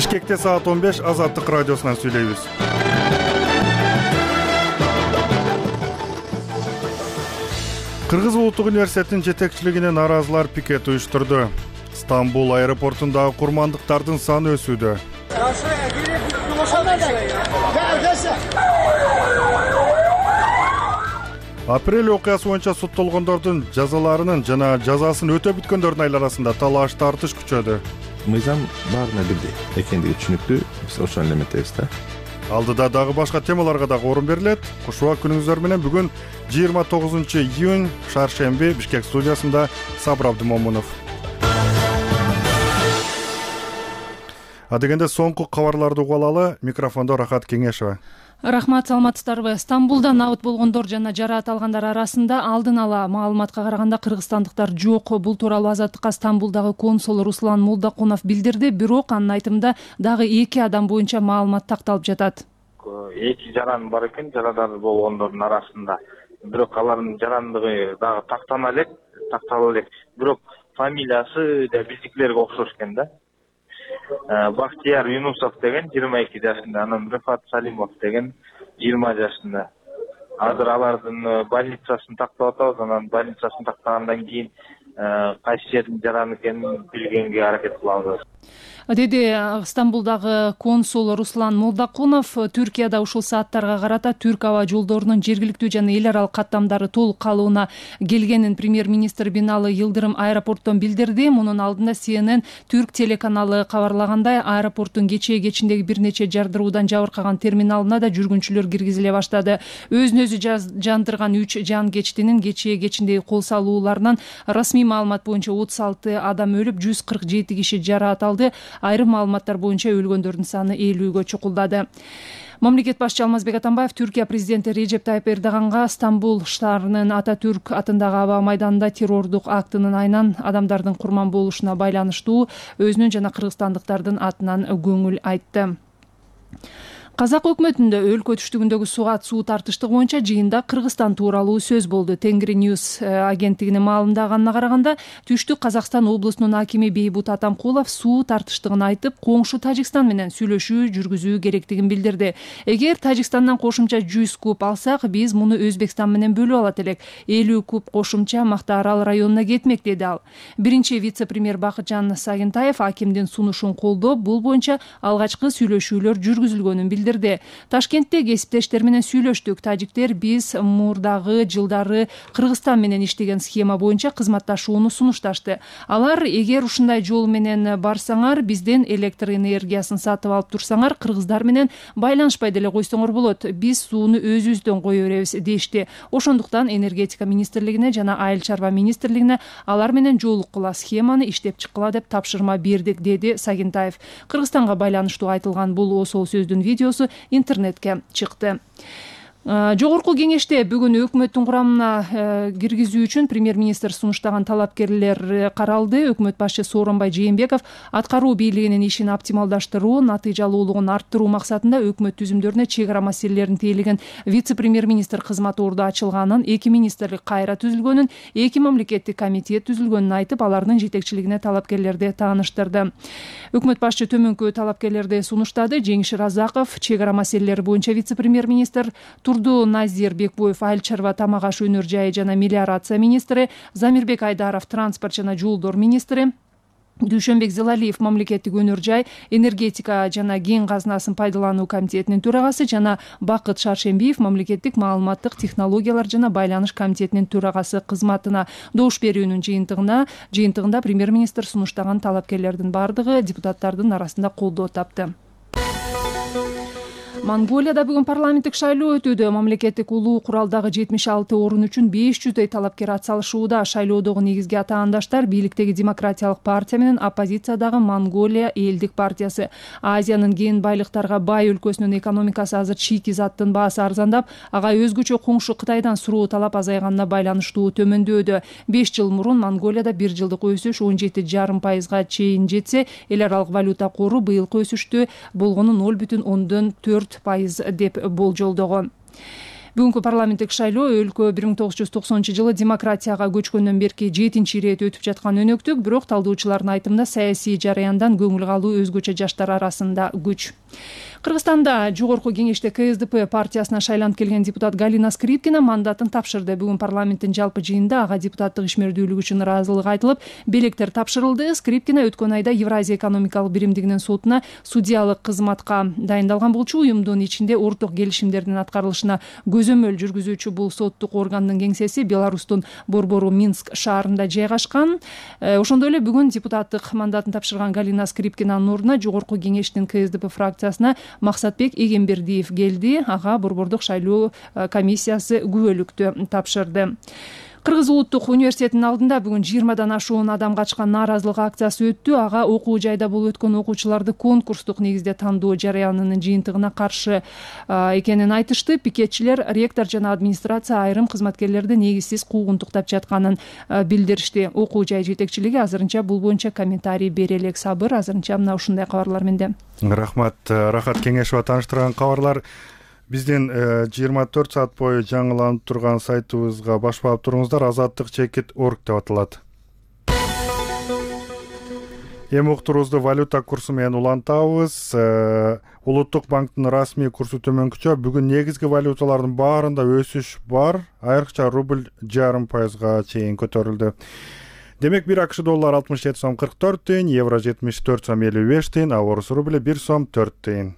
Бишкекте саат 15 Азаттык радиосунан сүйлөйбүз. Кыргыз улуттук университетинин жетекчилигине нааразылар пикет уюштурду. Стамбул аэропортундагы курмандыктардын саны өсүүдө. Апрель окуясы боюнча соттолгондордун жазаларынын жана жазасын өтө бүткөндөрдүн айыл арасында талаш тартыш күчөдү. Мыйзам баарына бирдей экендиги түшүнүктүү, биз ошону элеметтейбиз да. Алдыда дагы башка темаларга дагы орун берилет. Кушубак күнүңүздөр менен бүгүн 29-июнь шаршемби Бишкек студиясында Сабыр Абдымомунов. Адегенде соңку кабарларды угуп алалы. Микрофондо Рахат Кеңешева. Рахмат, саламатсыздарбы? Стамбулда набыт болгондор жана жараат алгандар арасында алдын ала маалыматка караганда кыргызстандыктар жок. Бул тууралуу Азаттыкка Стамбулдагы консул Руслан Молдокунов билдирди, бирок анын айтымында дагы 2 адам боюнча маалымат такталып жатат. 2 жаран бар экен, жарадар болгондордун арасында. Бирок алардын жарандыгы дагы тактала элек. Бирок фамилиясы да биздикилерге окшош экен да. Бактияр Юнусов деген 22 жашында, анан Рыфат Салимов деген 20 жашында. Азыр алардын больницасын тактап атабыз, анан больницасын тактагандан кийин кайсы жердин жараны экенин билгенге аракет кылабыз, деди Стамбулдагы консул Руслан Молдокунов. Түркияда ушул сааттарга карата Түрк аба жолдорунун жергиликтүү жана эл аралык каттамдары толук калыбына келгенин премьер-министр Биналы Йылдырым аэропорттон билдирди. Мунун алдында CNN Түрк телеканалы кабарлагандай, аэропорттун кечиндеги бир нече жардыруудан жабыркаган терминалына да жүргүнчүлөр киргизиле баштады. Өзүн өзү жандырган 3 жан кечтинин кечиндеги кол салууларынан расмий маалымат боюнча 36 адам өлүп, 147 киши жараат алды. Айрым маалыматтар боюнча өлгөндөрдүн саны 50-гө чукулдады. Мамлекет башчы Алмазбек Атамбаев Түркия президенти Режеп Тайып Эрдоганга Стамбул шаарынын Ататүрк атындагы аба майданында террордук актынын айынан адамдардын курман болушуна байланыштуу өзүнүн жана кыргызстандыктардын атынан көңүл айтты. Казак өкмөтүндө өлкө түштүгүндөгү суу тартыштыгы боюнча жыйында Кыргызстан тууралуу сөз болду. Тенгри Ньюс агенттигинин маалымдаганына караганда, Түштүк Казакстан облусунун акими Бейбут Атамкулов суу тартыштыгын айтып, коңшу Тажикстан менен сүйлөшүү жүргүзүү керектигин билдирди. Эгер Тажикстандан кошумча 100 куб алсак, биз муну Өзбекстан менен бөлүп алат элек. 50 куб кошумча Мактаарал районуна кетмек, деди ал. Биринчи вице-премьер Бакытжан Сагынтаев акимдин сунушун колдоп, бул боюнча алгачкы сүйлөшүүлөр жүргүзүлгөнүн билдирди. Ташкентте кесиптештер менен сүйлөштүк. Тажиктер биз мурдагы жылдары Кыргызстан менен иштеген схема боюнча кызматташууну сунушташты. Алар, эгер ушундай жол менен барсаңар, бизден электр энергиясын сатып алып турсаңар, кыргыздар менен байланышпай деле койсоңор болот. Биз сууну өзүбүздөн кое беребиз, дешти. Ошондуктан энергетика министрлигине жана айыл чарба министрлигине алар менен жолуккула, схеманы иштеп чыккыла деп тапшырма бердик, деди Сагынтаев. Кыргызстанга байланыштуу айтылган бул осол сөздүн видеосу интернетке чыкты. Жогорку кеңеште бүгүн өкмөттүн курамына киргизүү үчүн премьер-министр сунуштаган талапкерлер каралды. Өкмөт башчысы Сооронбай Жээнбеков аткаруу бийлигинин ишин оптималдаштыруу, натыйжалуулугун арттыруу максатында өкмөт түзүмдөрүнө чек ара маселелерин тейлеген вице-премьер-министр кызматы орду ачылганын, 2 министрлик кайра түзүлгөнүн, 2 мамлекеттик комитет түзүлгөнүн айтып, алардын жетекчилигине талапкерлерди тааныштырды. Өкмөт башчы төмөнкү талапкерлерди сунуштады. Жеңиш Разаков чек ара маселелери боюнча вице-премьер-министр, Турду Назир Бекбоев айыл чарба тамак аш өнөр жайы жана мелиорация министри, Замирбек Айдаров транспорт жана жолдор министри, Дүйшөнбек Зелалиев мамлекеттик өнөр жай, энергетика жана кен казынасын пайдалануу комитетинин төрагасы жана Бакыт Шаршембиев мамлекеттик маалыматтык технологиялар жана байланыш комитетинин төрагасы кызматына добуш берүүнүн жыйынтыгында премьер-министр сунуштаган талапкерлердин бардыгы депутаттардын арасында колдоо тапты. Монголияда бүгүн парламенттик шайлоо өтүүдө. Мамлекеттик улуу куралдагы 76 орун үчүн 500 талапкер атсалышууда. Шайлоодогу негизги атаандаштар бийликтеги Демократиялык партия менен оппозициядагы Монголия элдик партиясы. Азиянын кен байлыктарга бай өлкөсүнүн экономикасы азыр чийки заттын баасы арзандап, ага өзгөчө коңшу Кытайдан суроо талап азайганына байланыштуу төмөндөдү. 5 жыл мурун Монголияда 1 жылдык өсүш 17,5% чейин жетсе, эл аралык валюта кору быйылкы өсүштү болгону 0,4% деп болжолдогон. Бүгүнкү парламенттик шайлоо өлкө 1990-жылы демократияга көчкөндөн берки 7-чи ирет өтүп жаткан өнөктүк, бирок талдоочулардын айтымында саясий жараяндан көңүл калуу өзгөчө жаштар арасында күч. Кыргызстанда жогорку кеңеште КСДП партиясына шайланып келген депутат Галина Скрипкина мандатын тапшырды. Бүгүн парламенттин жалпы жыйынында ага депутаттык ишмердүүлүгү үчүн ыраазылык айтылып, белектер тапшырылды. Скрипкина өткөн айда Евразия экономикалык биримдигинин сотуна судьялык кызматка дайындалган болчу. Уюмдун ичинде орток келишимдердин аткарылышына көзөмөл жүргүзүүчү бул соттук органдын кеңсеси Беларустун борбору Минск шаарында жайгашкан. Ошондой эле бүгүн депутаттык мандатын тапшырган Галина Скрипкинанын ордуна жогорку кеңештин КСДП фракциясына Максатбек Эгембердиев келди. Ага борбордук шайлоо комиссиясы күбөлүктү тапшырды. Кыргыз улуттук университетинин алдында бүгүн 20дан ашуун адам катышкан нааразылык акциясы өттү. Ага окуу жайда болуп өткөн окуучуларды конкурстук негизде тандоо жарыянынын жыйынтыгына каршы экенин айтышты. Пикетчилер ректор жана администрация айрым кызматкерлерди негизсиз куугунтуктап жатканын билдиришти. Окуу жай жетекчилиги азырынча бул боюнча комментарий бере элек. Сабыр, азырынча мына ушундай кабарлар менде. Рахмат. Рахат Кеңешова тааныштырган кабарлар. Биздин 24 саат бою жаңыланып турган сайтыбызга баш баап туруңуздар. Азаттык.org деп аталат. Эми уктуруубузду валюта курсу менен улантабыз. Улуттук банктын расмий курсу төмөнкүчө. Бүгүн негизги валюталардын баарында өсүш бар. Айрыкча рубль 0,5% чейин көтөрүлдү. Демек 1 АКШ доллар 67 сом 44 тыйын, евро 74 сом 55 тыйын, а орус рубли 1 сом 4 тыйын.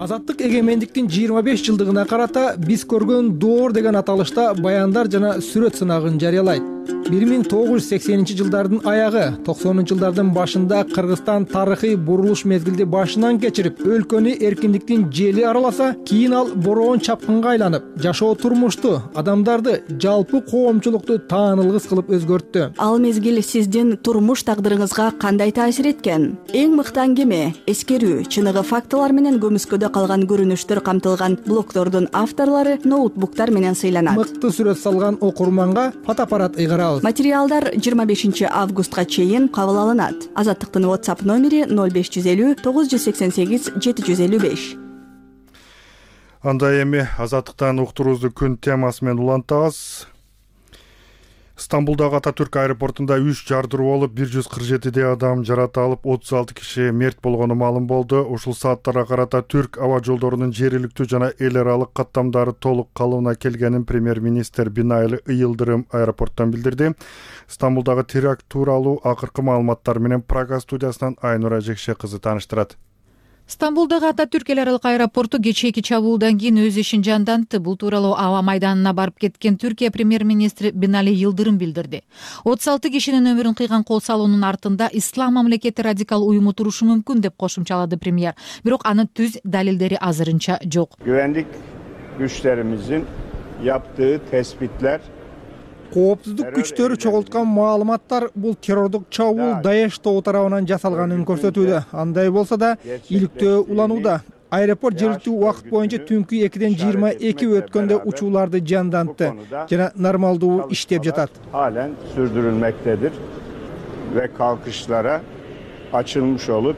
Азаттык эгемендиктин 25 жылдыгына карата биз көргөн доор деген аталышта баяндар жана сүрөт сынагын жарыялайт. 1980-жылдардын аягы, 90-жылдардын башында Кыргызстан тарыхый бурулуш мезгилди башынан кечирип, өлкөнү эркиндиктин жели араласа, кийин ал бороон чапкынга айланып, жашоо турмушту, адамдарды, жалпы коомчулукту таанылгыс кылып өзгөрттү. Ал мезгил сиздин турмуш тагдырыңызга кандай таасир эткен? Эң мыкты аңгеме, эскерүү, чыныгы фактылар менен көмүскөдө калган көрүнүштөр камтылган блогдордун авторлору ноутбуктар менен сыйланат. Мыкты сүрөт салган окурманга фотоаппарат ыйгарабыз. Материалдар 25 августка чейин кабыл алынат. Азаттыктын WhatsApp номери 0550 988 755. Анда эми Азаттыктан уктуруубузду күн темасы менен улантабыз. Стамбулдагы Ататүрк аэропортунда 3 жардыруу болуп, 147 адам жаракат алып, 36 киши мерт болгону маалым болду. Ушул сааттарга карата Түрк аба жолдорунун жергиликтүү жана эл аралык каттамдары толук калыбына келгенин премьер-министр Бинали Йылдырым аэропорттон билдирди. Стамбулдагы теракт тууралуу акыркы маалыматтар менен Прага студиясынан Айнура Жекше кызы тааныштырат. Стамбулдагы Ататүрк эл аралык аэропорту кечээки чабуулдан кийин өз ишин жандантты. Бул тууралуу аба майданына барып кеткен Түркия премьер-министри Бинали Йылдырым билдирди. 36 кишинин өмүрүн кыйган кол салуунун артында ислам мамлекети радикал уюму турушу мүмкүн деп кошумчалады премьер. Бирок анын түз далилдери азырынча жок. Güvenlik güçlerimizin yaptığı tespitler Коопсуздук күчтөрү чогулткан маалыматтар бул террордук чабуул Даеш тобу тарабынан жасалганын көрсөтүүдө. Андай болсо да иликтөө уланууда. Аэропорт жергиликтүү убакыт боюнча түнкү 2-ден 22 өткөндө учууларды жандантты жана нормалдуу иштеп жатат. Halen sürdürülmektedir ve kalkışlara açılmış olup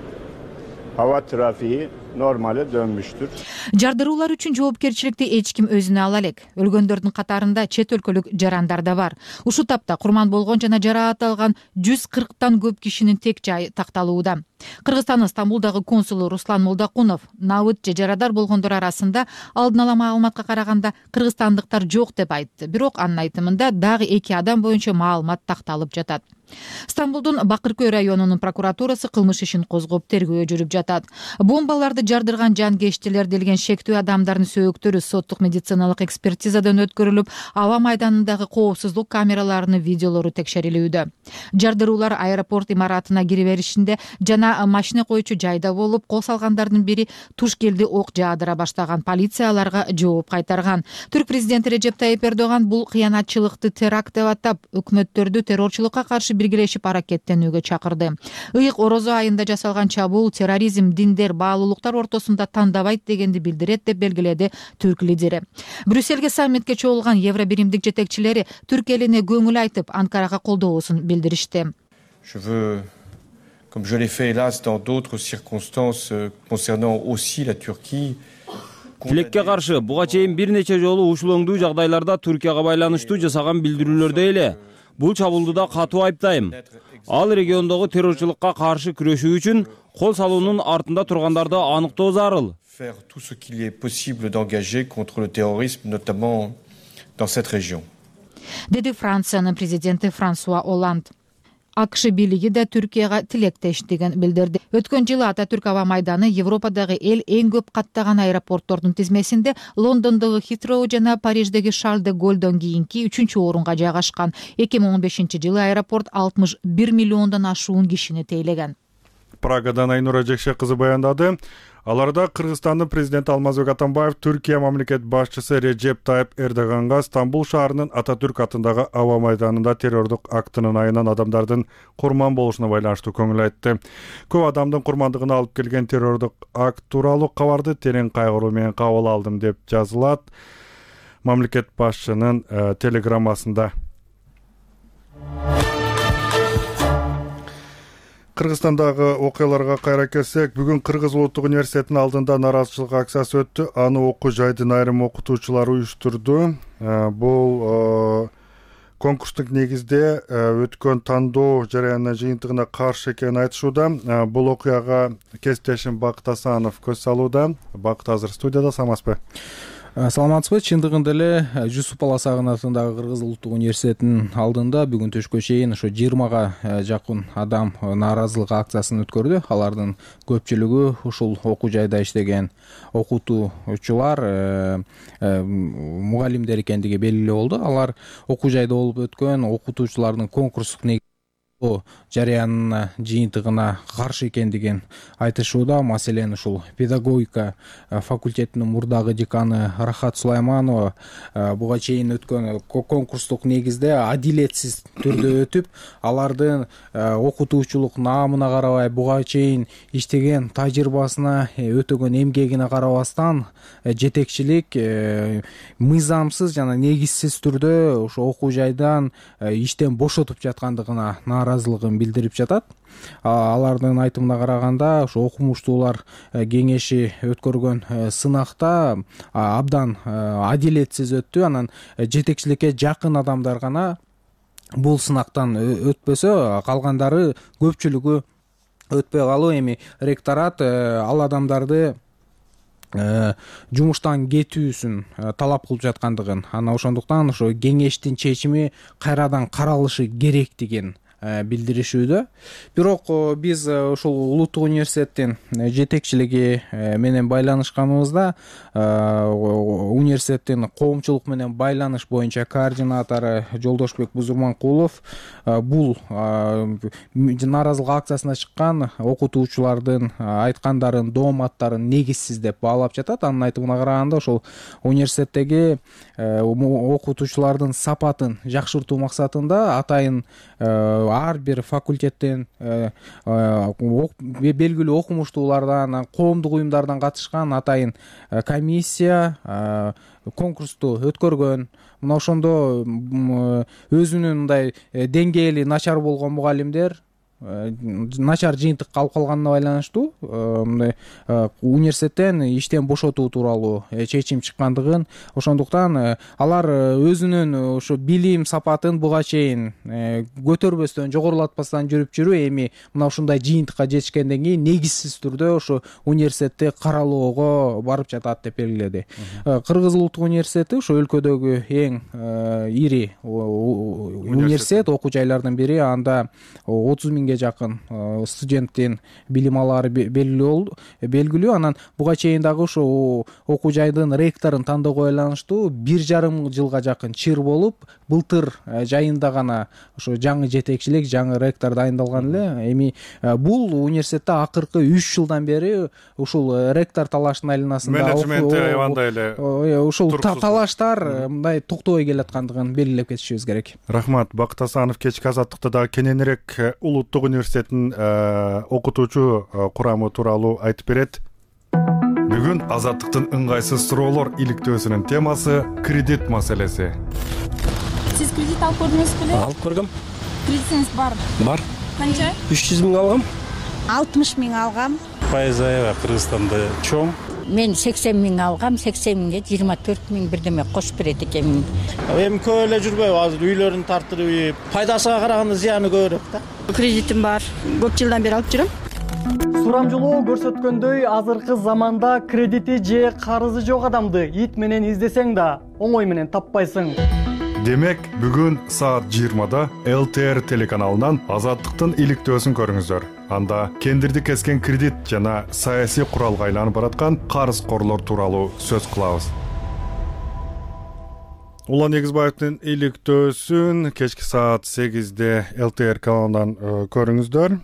hava trafiği normale dönmüştür. Жардыруулар үчүн жоопкерчиликти эч ким өзүнө ала элек. Өлгөндөрдүн катарында чет өлкөлүк жарандар да бар. Ушул тапта курман болгон жана жаракат алган 140тан көп кишинин тек жайы такталууда. Кыргызстандын Стамбулдагы консулу Руслан Молдокунов набыт же жарадар болгондор арасында алдын ала маалыматка караганда кыргызстандыктар жок деп айтты. Бирок анын айтымында дагы 2 адам боюнча маалымат такталып жатат. Стамбулдун Бакыркөй районунун прокуратурасы кылмыш ишин козгоп тергөө жүрүп жатат. Бомбаларды жардырган жангештилер делген шектүү адамдардын сөөктөрү соттук медициналык экспертизадан өткөрүлүп, аба майданындагы коопсуздук камераларынын видеолору текшерилүүдө. Жардыруулар аэропорт имаратына кире беришинде жана машина койчу жайда болуп, кол салгандардын бири туш келди ок жаадыра баштаган. Полицияларга жооп кайтарган. Түрк президенти Режеп Тайип Эрдоган бул кыянатчылыкты теракт деп атап, өкмөттөрдү террорчулукка каршы биргелешип аракеттенүүгө чакырды. Ыйык орозо айында жасалган чабуул терроризм, диндер, баалуулуктар ортосунда тандабайт дегенди билдирет деп белгиледи түрк лидери. Брюссельге саммитке чогулган Евро биримдик жетекчилери түрк элине көңүл айтып, Анкарага колдоосун билдиришти. Je veux, comme je l'ai fait hélas dans d'autres circonstances concernant aussi la Turquie, Тилекке каршы буга чейин бир нече жолу ушул оңдуу жагдайларда Түркияга байланыштуу жасаган билдирүүлөрдө эле бул чабуулду да катуу айыптайм. Ал региондогу террорчулукка каршы күрөшүү үчүн кол салуунун артында тургандарды аныктоо зарыл. Faire tout ce qu'il est possible d'engager contre le terrorisme, notamment dans cette région. Деди Франциянын президенти Франсуа Оланд. АКШ бийлиги да Түркияга тилектештигин билдирди. Өткөн жылы Ататүрк аба майданы Европадагы эң көп каттаган аэропорттордун тизмесинде Лондондогу Хитроу жана Париждеги Шарль де Голлдон кийинки 3-орунга жайгашкан. 2015-жылы аэропорт 61 миллиондон ашуун кишини тейлеген. Прагадан Айнура Жекше кызы баяндады. Аларда Кыргызстандын президенти Алмазбек Атамбаев Түркия мамлекет башчысы Режеп Тайып Эрдоганга Стамбул шаарынын Ататүрк атындагы аба майданында террордук актынын айынан адамдардын курман болушуна байланыштуу көңүл айтты. Көп адамдын курмандыгына алып келген террордук акт тууралуу кабарды терең кайгыруу менен кабыл алдым деп жазылат мамлекет башчынын телеграммасында. Кыргызстандагы окуяларга кайра келсек, бүгүн Кыргыз Улуттук университетинин алдында нааразычылык акциясы өттү. Аны окуу жайдын айрым окутуучулары уюштурду. Бул конкурстук негизде өткөн тандоо жарыянына жыйынтыгына каршы экенин айтышууда. Бул окуяга кесиптешим Бакыт Асанов көз салууда. Бакыт азыр студияда, саламатсызбы? Саламатсызбы. Чындыгында эле Жусуп Баласагын атындагы Кыргыз Улуттук университетинин алдында бүгүн түшкө чейин ошо 20га жакын адам нааразылык акциясын өткөрдү. Алардын көпчүлүгү ушул окуу жайда иштеген окутуучулар, мугалимдер экендиги белгилүү болду. Алар окуу жайда болуп өткөн окутуучулардын конкурстук жарыянына жыйынтыгына каршы экендигин айтышууда. Маселен, ушул педагогика факультетинин мурдагы деканы Рахат Сулайманова буга чейин өткөн конкурстук негизде адилетсиз түрдө өтүп, алардын окутуучулук наамына карабай, буга чейин иштеген тажрыйбасына, өтөгөн эмгегине карабастан жетекчилик мыйзамсыз жана негизсиз түрдө ошо окуу жайдан иштен бошотуп жаткандыгына нааразылыгын билдирип жатат. Алардын айтымына караганда, ошо окумуштуулар кеңеши өткөргөн сынакта абдан адилетсиз өттү. Анан жетекчиликке жакын адамдар гана бул сынактан өтпөсө, калгандары көпчүлүгү өтпөй калуу. Эми ректорат ал адамдарды жумуштан кетүүсүн талап кылып жаткандыгын, ана ошондуктан ошо кеңештин чечими кайрадан каралышы керектигин билдиришүүдө. Бирок биз ушул Улуттук университеттин жетекчилиги менен байланышканыбызда университеттин коомчулук менен байланыш боюнча координатору Жолдошбек Бузурманкулов бул нааразылык акциясына чыккан окутуучулардын айткандарын, дооматтарын негизсиз деп баалап жатат. Анын айтымына караганда, ошол университеттеги окутуучулардын сапатын жакшыртуу максатында атайын ар бир факультеттен белгилүү окумуштуулардан, коомдук уюмдардан катышкан атайын комиссия конкурсту өткөргөн. Мына ошондо өзүнүн мындай деңгээли начар болгон мугалимдер начар жыйынтык алып калганына байланыштуу университеттен иштен бошотуу тууралуу чечим чыккандыгын, ошондуктан алар өзүнүн ошо билим сапатын буга чейин көтөрбөстөн, жогорулатпастан жүрүп эми мына ушундай жыйынтыкка жетишкенден кийин негизсиз түрдө ошо университетти каралоого барып жатат деп белгиледи. Кыргыз Улуттук университети ошо өлкөдөгү эң ири университет, окуу жайлардын бири. Анда 30 миңге жакын студенттин билим алаары белгилүү. Анан буга чейин дагы ошо окуу жайдын ректорун тандоого байланыштуу 1,5 жылга жакын чыр болуп, былтыр жайында гана ошо жаңы жетекчилик, жаңы ректор дайындалган эле. Эми бул университетте акыркы 3 жылдан бери ушул ректор талаштын айланасында менеджменти аябандай эле ушул талаштар мындай токтобой келаткандыгын белгилеп кетишибиз керек. Рахмат. Бакыт Асанов кечки азаттыкта дагы кененирээк Улуттук университеттин окутуучу курамы тууралуу айтып берет. Бүгүн азаттыктын ыңгайсыз суроолор иликтөөсүнүн темасы кредит маселеси. Сиз кредит алып көрдүңүзбү беле? Алып көргөм. Кредитиңиз барбы? Бар. Канча? 300 миң алгам. 60 миң алгам. Пайыз аябай Кыргызстанда чоң. Мен 80 миң алгам, 80 миңге 24 миң бирдеме кошуп берет экенмин. Эми көп эле жүрбөйбү, азыр үйлөрүн тартырып, пайдасына караганда зыяны көбүрөөк да. Кредитим бар. Көп жылдан бери алып жүрөм. Сурамжылоо көрсөткөндөй, азыркы заманда кредити же карызы жок адамды ит менен издесең да оңой менен таппайсың. Демек, бүгүн саат 20-да ЛТР телеканалынан Азаттыктын иликтөөсүн көрүңүздөр. Анда кендирди кескен кредит жана саясий куралга айланып бараткан карызкорлор тууралуу сөз кылабыз. Улан Эгизбаевдин иликтөөсүн кечки саат 8-де ЛТР каналынан көрүңүздөр.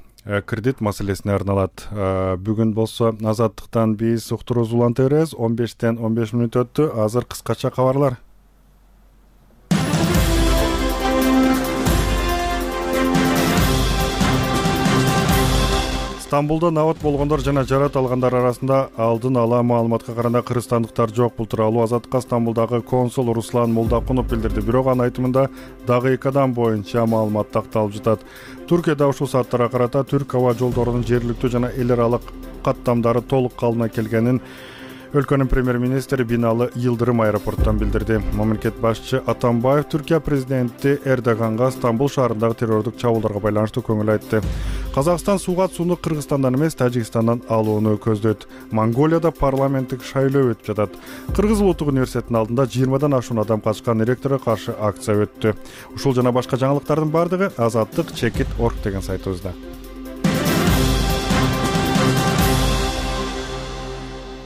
Кредит маселесине арналат. Бүгүн болсо Азаттыктан биз уктуруубуз улантабыз. 15-тен 15 мүнөт өттү. Азыр кыскача кабарлар. Стамбулда набат болгондор жана жарат алгандар арасында алдын ала маалыматка караганда кыргызстандыктар жок. Бул тууралуу Азаттыкка Стамбулдагы консул Руслан Молдакунов билдирди. Бирок анын айтымында дагы 2 адам боюнча маалымат такталып жатат. Туркияда ушул сааттарга карата түрк аба жолдорунун жергиликтүү жана эл аралык каттамдары толук калыбына келгенин өлкөнүн премьер-министри Бинали Йылдырым аэропорттон билдирди. Мамлекет башчы Атамбаев Түркия президенти Эрдоганга Стамбул шаарындагы террордук чабуулдарга байланыштуу көңүл айтты. Казакстан сууну Кыргызстандан эмес, Тажикстандан алууну көздөйт. Монголияда парламенттик шайлоо өтүп жатат. Кыргыз улуттук университетинин алдында 20дан ашуун адам катышкан ректорго каршы акция өттү. Ушул жана башка жаңылыктардын бардыгы Азаттык.org деген сайтыбызда.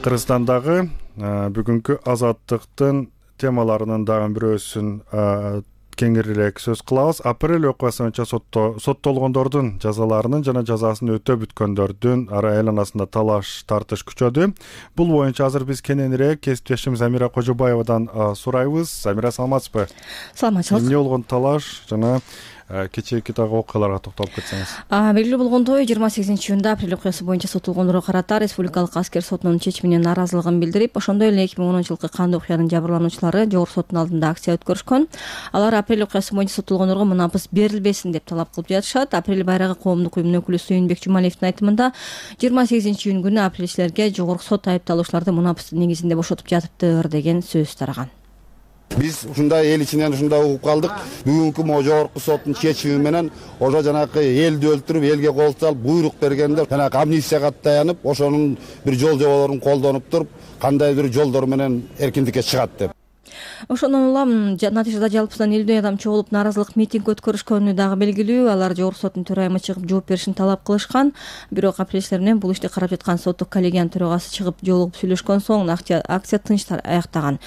Кыргызстандагы бүгүнкү Азаттыктын темаларынын дагы бирөөсүн кеңирирээк сөз кылабыз. Апрель окуясы боюнча соттолгондордун жазаларынын жана жазасын өтөп бүткөндөрдүн айланасында талаш тартыш күчөдү. Бул боюнча азыр биз кененирээк кесиптешим Замира Кожобаевадан сурайбыз. Замира, саламатсызбы? Саламатчылык. Эмне болгон талаш жана кечээки дагы окуяларга токтолуп кетсеңиз. Белгилүү болгондой, 28-июнда апрель окуясы боюнча соттолгондорго карата Республикалык аскер сотунун чечимине нааразылыгын билдирип, ошондой эле 2010-жылкы кандуу окуянын жабырлануучулары жогорку соттун алдында акция өткөрүшкөн. Алар апрель окуясы боюнча соттолгондорго мунапыс берилбесин деп талап кылып жатышат. Апрель байрагы коомдук уюмунун өкүлү Сүйүнбек Жумалиевдин айтымында 28-июнь күнү апрелчилерге жогорку сот айыпталуучуларды мунапыстын негизинде бошотуп жатыптыр деген сөз тараган. Биз ушундай эл ичинен ушундай угуп калдык. Бүгүнкү могу жогорку соттун чечими менен ошо жанакы элди өлтүрүп, элге кол салып, буйрук бергенде жанакы амнистияга таянып, ошонун бир жол жоболорун колдонуп туруп, кандай бир жолдор менен эркиндикке чыгат деп. Ошондон улам натыйжада жалпысынан 50 адам чогулуп нааразылык митинг өткөрүшкөнү дагы белгилүү. Алар жогорку соттун төрайымы чыгып жооп беришин талап кылышкан. Бирок апрелчилер менен бул ишти карап жаткан соттук коллегиянын төрагасы чыгып жолугуп сүйлөшкөн соң акция тынч аяктаган.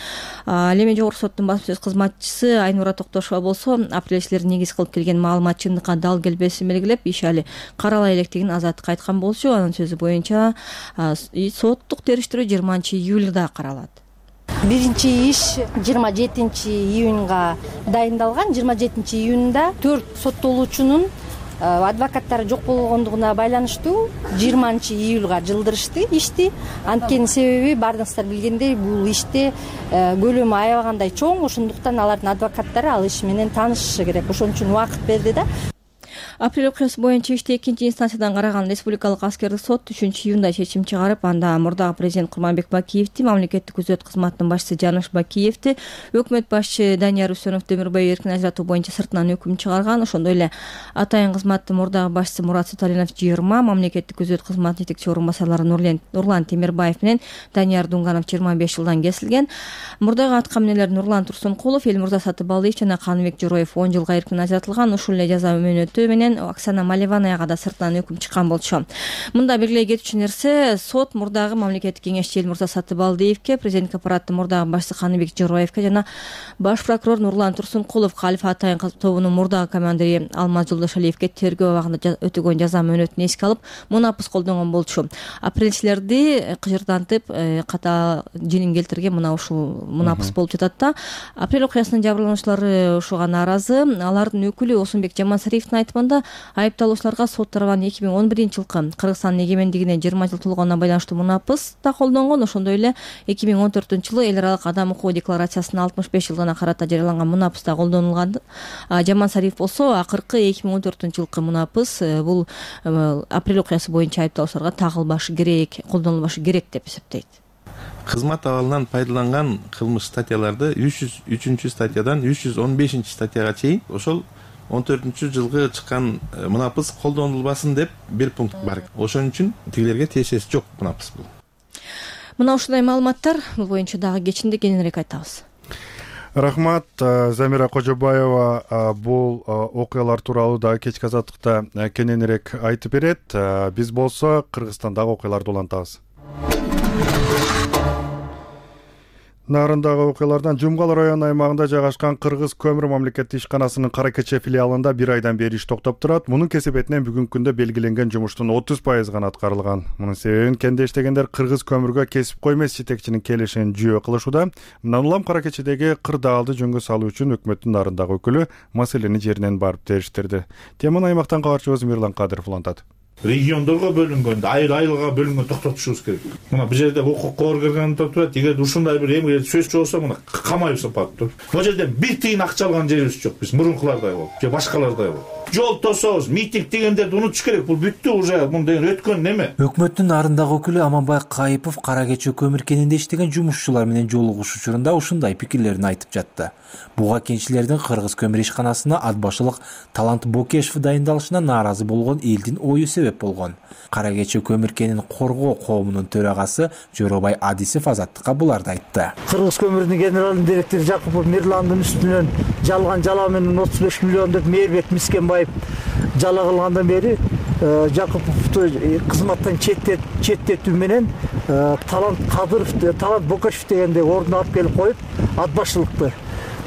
Ал эми жогорку соттун басма сөз кызматчысы Айнура Токтошова болсо апрелчилер негиз кылып келген маалымат чындыкка дал келбесин белгилеп, иш али каралай электигин Азаттыкка айткан болчу. Анын сөзү боюнча соттук териштирүү 20-июлда каралат. Биринчи иш 27-июнга дайындалган. 27-июнда 4 соттолуучунун адвокаттары жок болгондугуна байланыштуу 20-июлга жылдырышты ишти. Анткени себеби баарыңыздар билгендей, бул иште көлөмү аябагандай чоң, ошондуктан алардын адвокаттары ал иш менен таанышышы керек. Ошон үчүн убакыт берди да. Апрель окуясы боюнча ишти 2-инстанциядан караган Республикалык аскердик сот 3-июнда чечим чыгарып, анда мурдагы президент Курманбек Бакиевди, мамлекеттик күзөт кызматынын башчысы Жаныш Бакиевди, өкмөт башчы Данияр Үсөнов Демирбай эркин ажыратуу боюнча сыртынан өкүм чыгарган. Ошондой эле атайын кызматтын мурдагы башчысы Мурат Саталинов 20, мамлекеттик күзөт кызматынын жетекчи орун басарлары Нурлан Темирбаев менен Данияр Дунганов 25 жылдан кесилген. Мурдагы аткаминерлер Нурлан Турсункулов, Элмурза Сатыбалдиев жана Каныбек Жороев 10 жылга эркин ажыратылган. Ушул эле жаза мөөнөтү менен Оксана Маливанаяга да сыртынан өкүм чыккан болчу. Мында белгилей кетчү нерсе, сот мурдагы мамлекеттик кеңешчи Элмурза Сатыбалдиевке, президент аппараттын мурдагы башчысы Каныбек Жороевке жана баш прокурор Нурлан Турсункулов, Калифа Атайын тобунун мурдагы командири Алмаз Жолдошалиевке тергөө абагында өтөгөн жаза мөөнөтүн эске алып, мунапыс колдонгон болчу. Апрелчилерди кыжырдантып, ката жинин келтирген мына ушул мунапыс болуп жатат да. Апрель окуясынын жабырлануучулары ушуга нааразы. Алардын өкүлү Осунбек Жамансариевдин айтымында айыпталуучуларга сот тарабынан 2011-жылкы Кыргызстандын эгемендигине 20 жыл толгонуна байланыштуу мунапыс да колдонгон. Ошондой эле 2014-жылы эл аралык адам укугу декларациясынын 65 жылдыгына карата жарыяланган мунапыс да колдонулган. Жамансариев болсо акыркы 2014-жылкы мунапыс бул апрель окуясы боюнча айыпталуучуларга тагылбашы керек, колдонулбашы керек деп эсептейт. кызмат абалынан пайдаланган кылмыш статьяларды 303 статьядан 315 статьяга чейин ошол 14-жылгы чыккан мунапыс колдонулбасын деп бир пункт бар. Ошон үчүн тигилерге тиешеси жок мунапыс бул. Мына ушундай маалыматтар бул боюнча дагы кечинде кененирээк айтабыз. Рахмат, Замира Кожобаева бул окуялар тууралуу дагы кечки азаттыкта кененирээк айтып берет. Биз болсо Кыргызстандагы окуяларды улантабыз. Нарындагы окуялардан Жумгал району аймагында жайгашкан Кыргыз көмүр мамлекеттик ишканасынын Кара Кече филиалында 1 айдан бери иш токтоп турат. Мунун кесепетинен бүгүнкү күндө белгиленген жумуштун 30% гана аткарылган. Мунун себебин кенде иштегендер Кыргыз көмүргө кесипкой эмес жетекчинин келишин жүйө кылышууда. Мындан улам Кара Кечедеги кырдаалды жөнгө салуу үчүн өкмөттүн нарындагы өкүлү маселени жеринен барып териштирди. Теманы аймактан кабарчыбыз Мирлан Кадыров улантат. Региондорго бөлүнгөндө айылга бөлүнгөндө токтотушубуз керек. Мына бул жерде укукка оргергенде турат. Эгер ушундай бир эмге сөз чыгса, мына камайып сапат тур. Бул жерде бир тыйын акча алган жерибиз жок. Биз мурункулардай болуп, же башкалардай болуп. Жол тособуз, митинг дегендерди унутуш керек. Бул бүттү уже, мындай өткөн неме. Өкмөттүн нарындагы өкүлү Аманбай Кайыпов Кара Кече көмүр кенинде иштеген жумушчулар менен жолугуш учурунда ушундай пикирлерин айтып жатты. Буга кенчилердин Кыргыз көмүр ишканасына ат башылык Талант Бокешев дайындалышына нааразы болгон элдин ою себеп болгон. Кара Кече көмүр кенин коргоо коомунун төрагасы Жоробай Адисев азаттыкка буларды айтты. Кыргыз көмүрүнүн генералдын директору Жакупов Мирландын үстүнөн жалган жала менен 35 миллион деп Мээрбек Мискенбаев жала кылгандан бери Жакуповду кызматтан четтетүү менен Талант Бокешев дегенде ордуна алып келип коюп, ат башчылыкты.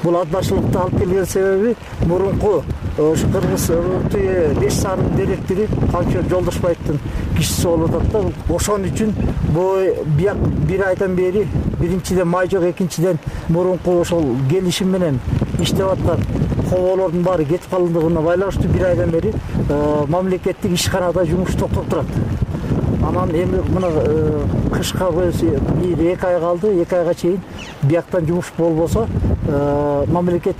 Бул ат башчылыкты алып келген себеби мурунку Кыргыз 5 сарынын директори Камчы Жолдошбаевдин кишиси болуп атат да. Ошон үчүн бул 1 айдан бери биринчиден май жок, экинчиден мурунку ошол келишим менен иштеп аткан коболордун баары кетип калгандыгына байланыштуу 1 айдан бери мамлекеттик ишканада жумуш токтоп турат. Анан эми мына кышка 1-2 ай калды, 2 айга чейин бияктан жумуш болбосо мамлекеттик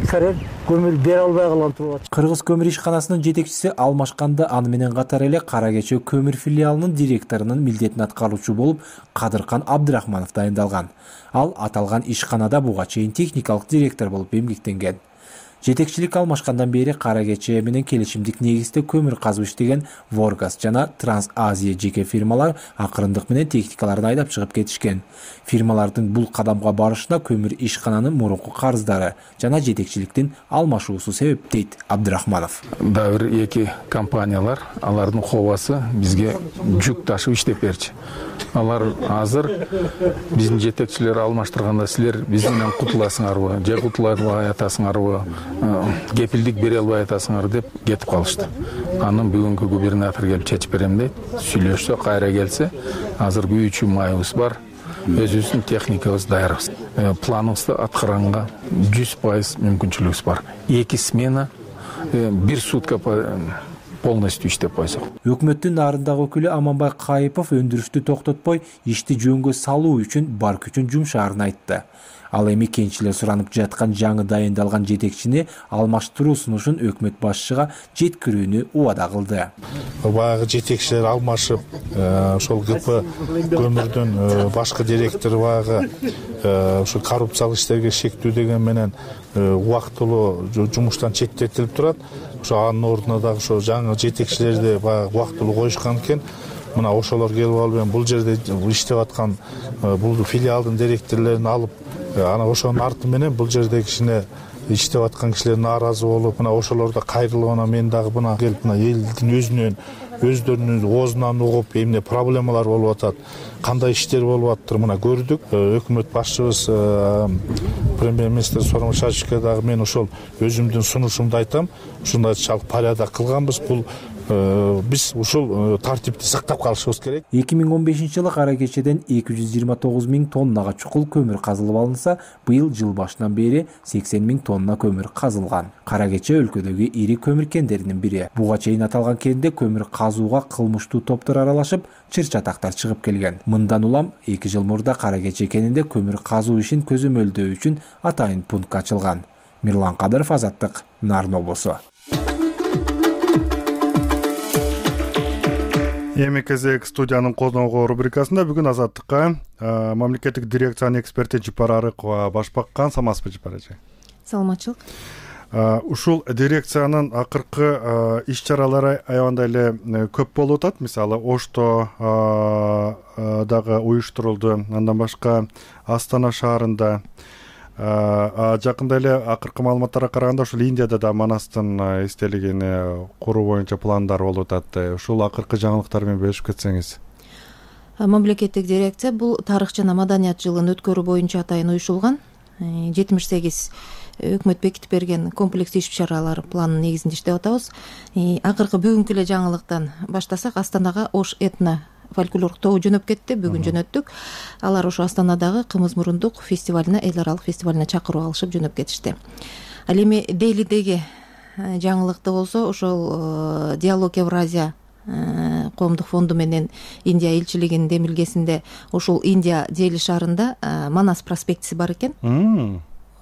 карер көмүр бере албай калган турат. Кыргыз көмүр ишканасынын жетекчиси алмашканда аны менен катар эле Кара Кече көмүр филиалынын директорунун милдетин аткаруучу болуп Кадыркан Абдрахманов дайындалган. Ал аталган ишканада буга чейин техникалык директор болуп эмгектенген. Жетекчилик алмашкандан бери Кара Кече менен келишимдик негизде көмүр казып иштеген Воргас жана Транс-Азия жеке фирмалар акырындык менен техникаларын айдап чыгып кетишкен. Фирмалардын бул кадамга барышына көмүр ишкананын мурунку карыздары жана жетекчиликтин алмашуусу себеп дейт Абдрахманов. Дагы бир 2 компаниялар, алардын хобасы бизге жүк ташып иштеп берчү. Алар азыр биздин жетекчилер алмаштырганда силер биз менен кутуласыңарбы, же кутулай албай атасыңарбы, кепилдик бере албай атасыңар деп кетип калышты. Анын бүгүнкү губернатор келип чечип берем дейт. Сүйлөшсө, кайра келсе, азыр 3 майыбыз бар. Өзүбүздүн техникабыз даярбыз. Планыбызды аткаранга 100% мүмкүнчүлүгүбүз бар. 2 смена, 1 сутка полностью иштеп койсок. Өкмөттүн нарындагы өкүлү Аманбай Кайыпов өндүрүштү токтотпой, ишти жөнгө салуу үчүн бар күчүн жумшаарын айтты. Ал эми кенчилер суранып жаткан жаңы дайындалган жетекчини алмаштыруу сунушун өкмөт башчыга жеткирүүнү убада кылды. Баягы жетекчилер алмашып, ошол ГП көмүрдүн башкы директору баягы ошо коррупциялык иштерге шектүү деген менен убактылуу жумуштан четтетилип турат. Ошо анын ордуна дагы ошо жаңы жетекчилерди баягы убактылуу коюшкан экен. Мына ошолор келип алып бул жерде иштеп аткан бул филиалдын директорлорун алып, ана ошонун арты менен бул жерде кичине иштеп аткан кишилер нааразы болуп, мына ошолор да кайрылып, ана мен дагы мына келип мына элдин өздөрүнүн оозунан угуп, эмне проблемалар болуп атат, кандай иштер болуп атыр, мына көрдүк. Өкмөт башчыбыз премьер-министр Сооронбай Шариповке дагы мен ошол өзүмдүн сунушумду айтам. Ушундай порядок кылганбыз. Бул биз ушул тартипти сактап калышыбыз керек. 2015-жылы Кара Кечеден 229 000 тоннага чукул көмүр казылып алынса, быйыл жыл башынан бери 80 000 тонна көмүр казылган. Кара Кече өлкөдөгү ири көмүр кендеринин бири. Буга чейин аталган кенде көмүр казууга кылмыштуу топтор аралашып, чыр-чатактар чыгып келген. Мындан улам 2 жыл мурда Кара Кече кенинде көмүр казуу ишин көзөмөлдөө үчүн атайын пункт ачылган. Мирлан Кадыров, Азаттык, Нарын облусу. Эми кезек студиянын козногу рубрикасында бүгүн Азаттыкка мамлекеттик дирекциянын эксперти Жипара Арыкова баш баккан. Саламатсызбы, Жипара эже? Саламатчылык. Ушул дирекциянын акыркы иш-чаралары аябандай эле көп болуп атат. Мисалы, Ошто дагы уюштурулду. Андан башка Астана шаарында, жакында эле акыркы маалыматтарга караганда ушул Индияда да Манастын эстелигин куруу боюнча пландар болуп атат. Ушул акыркы жаңылыктар менен бөлүшүп кетсеңиз. Мамлекеттик дирекция бул тарых жана маданият жылын өткөрүү боюнча атайын уюшулган. 78 өкмөт бекитип берген комплекс иш-чаралар планынын негизинде иштеп атабыз. Акыркы бүгүнкү эле жаңылыктан баштасак, Астанага Ош этно фольклорлук тобу жөнөп кетти. Бүгүн жөнөттүк. Алар ошо Астанадагы Кымыз мурундук фестивалине, эл аралык фестивалине чакыруу алышып жөнөп кетишти. Ал эми Делидеги жаңылыкты болсо, ошол Диалог Евразия коомдук фонду менен Индия элчилигинин демилгесинде ушул Индия Дели шаарында Манас проспектиси бар экен.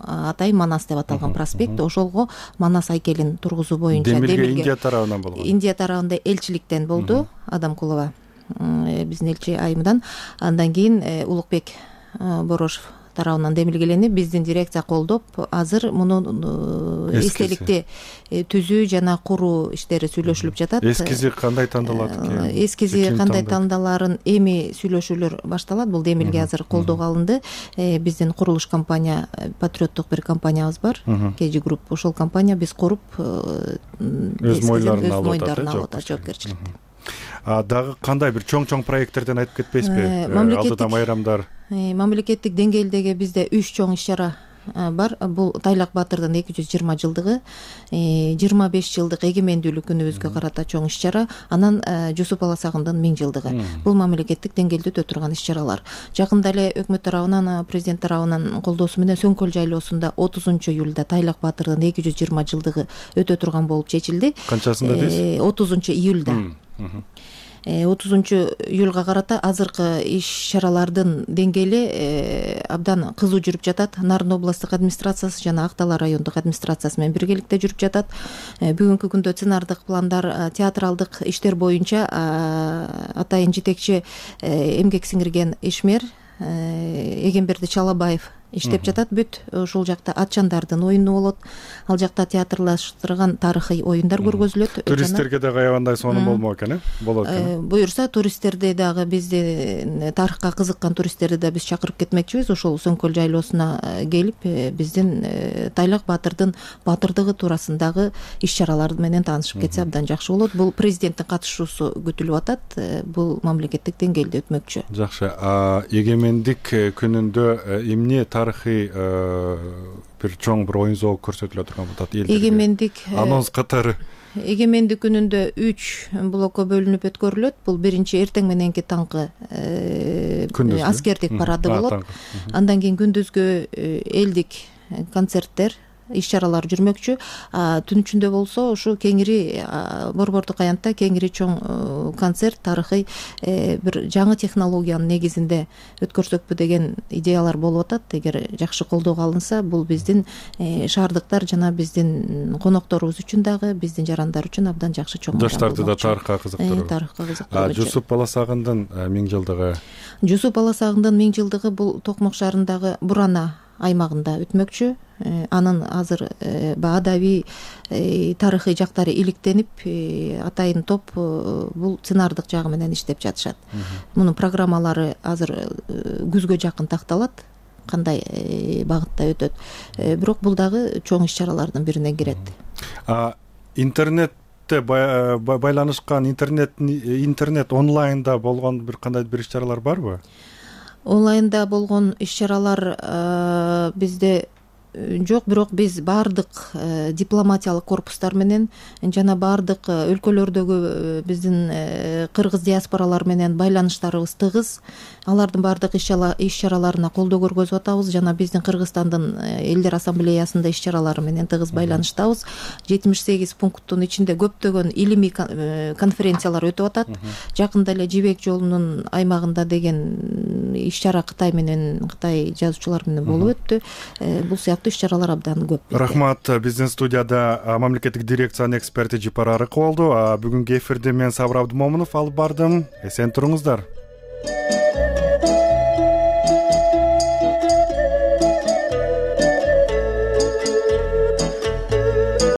Атайын Манас деп аталган проспект. Ошолго Манас айкелин тургузуу боюнча демилге Индия тарабынан болгон. Индия тарабында элчиликтен болду. Адамкулова биздин элчи айымынан. Андан кийин Улукбек Борошев тарабынан демилгеленип, биздин дирекция колдоп, азыр муну эстеликти түзүү жана куруу иштери сүйлөшүлүп жатат. Эскизи кандай тандалат экен? Эскизи кандай тандаларын эми сүйлөшүүлөр башталат. Бул демилге азыр колдоого алынды. Биздин курулуш компания, патриоттук бир компаниябыз бар, KG Group. Ошол компания биз куруп өз мойндарына алып атат жоопкерчиликти. Дагы кандай бир чоң проекттерден айтып кетпейсизби? Алдыда майрамдар. Мамлекеттик деңгээлдеги бизде 3 чоң иш-чара бар. Бул Тайлак Баатырдын 220 жылдыгы, 25 жылдык эгемендүүлүк күнүбүзгө карата чоң иш-чара, анан Жусуп Аласагындын 1000 жылдыгы. Бул мамлекеттик деңгээлде өтө турган иш-чаралар. Жакында эле өкмөт тарабынан, президент тарабынан колдоосу менен Сөңкөл жайлоосунда 30 июлда Тайлак Баатырдын 220 жылдыгы өтө турган болуп чечилди. Канчасында дейсиз? 30 июлда. 30 июлга карата азыркы иш-чаралардын деңгээли абдан кызуу жүрүп жатат. Нарын областтык администрациясы жана Актала райондук администрациясы менен биргеликте жүрүп жатат. Бүгүнкү күндө сценардык пландар, театралдык иштер боюнча атайын жетекчи эмгек сиңирген ишмер Эгемберди Чалабаев иштеп жатат. Бүт ушул жакта атчандардын оюну болот. Ал жакта театрлаштырган тарыхый оюндар көргөзүлөт. Туристтерге дагы аябандай сонун болмок экен, болот экен. Буюрса, туристтерди дагы, бизди тарыхка кызыккан туристтерди да биз чакырып кетмекчибиз. Ошол Сөңкөл жайлоосуна келип, биздин Тайлак Баатырдын баатырдыгы туурасындагы иш-чаралар менен таанышып кетсе абдан жакшы болот. Бул президенттин катышуусу күтүлүп атат. Бул мамлекеттик деңгээлде өтмөкчү. Жакшы. Эгемендик күнүндө эмне тарыхый бир чоң бир оюн зоок көрсөтүлө турган болот элдерге? Эгемендик анонс катары. Эгемендик күнүндө 3 блокко бөлүнүп өткөрүлөт. Бул биринчи эртең мененки таңкы аскердик парады болот. Андан кийин күндүзгү элдик концерттер, иш-чаралар жүрмөкчү. Түн ичинде болсо ушу кеңири Борбордук аянтта кеңири чоң концерт, тарыхый бир жаңы технологиянын негизинде өткөрсөкпү деген идеялар болуп атат. Эгер жакшы колдоого алынса, бул биздин шаардыктар жана биздин конокторубуз үчүн дагы, биздин жарандар үчүн абдан жакшы чоң. Жаштарды да тарыхка кызыктыруу. Тарыхка кызыктыруу. Жусуп Аласагындын 1000 жылдыгы. Жусуп Аласагындын 1000 жылдыгы бул Токмок шаарындагы Бурана аймагында өтмөкчү. Анын азыр адабий тарыхый жактары иликтенип, атайын топ бул сценардык жагы менен иштеп жатышат. Мунун программалары азыр күзгө жакын такталат, кандай багытта өтөт. Бирок бул дагы чоң иш-чаралардын бирине кирет. Интернетте байланышкан, интернет онлайнда болгон бир кандай бир иш-чаралар барбы? Онлайнда болгон иш-чаралар бизде жок, бирок биз баардык дипломатиялык корпустар менен жана баардык өлкөлөрдөгү биздин кыргыз диаспоралар менен байланыштарыбыз тыгыз. Алардын баардык иш-чараларына колдоо көргөзүп атабыз жана биздин Кыргызстандын элдер ассамблеясында иш-чаралары менен тыгыз байланыштабыз. 78 пункттун ичинде көптөгөн илимий конференциялар өтүп атат. Жакында эле Жибек жолунун аймагында деген иш-чара Кытай жазуучулар менен болуп өттү. Бул сыяктуу сыяктуу иш чаралар абдан көп. Рахмат. Биздин студияда мамлекеттик дирекциянын эксперти Жипар Арыкова болду. Бүгүнкү эфирди мен Сабыр Абдымомунов алып бардым. Эсен туруңуздар.